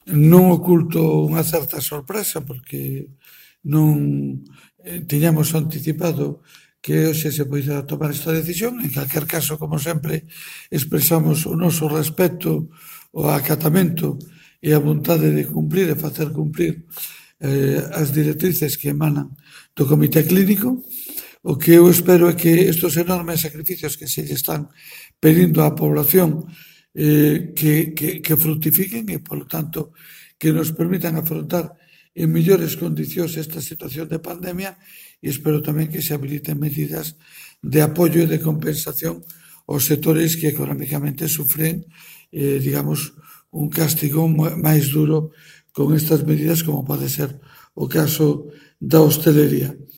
Non oculto unha certa sorpresa porque non tiñamos anticipado que hoxe se poidera tomar esta decisión. En calquer caso, como sempre, expresamos o noso respecto, o acatamento e a vontade de cumprir e facer cumprir as directrices que emanan do Comité Clínico. O que eu espero é que estes enormes sacrificios que se lle están pedindo á población que fructifiquen e, polo tanto, que nos permitan afrontar en mellores condicións esta situación de pandemia, e espero tamén que se habiliten medidas de apoio e de compensación aos sectores que económicamente sufren, digamos, un castigo máis duro con estas medidas, como pode ser o caso da hostelería.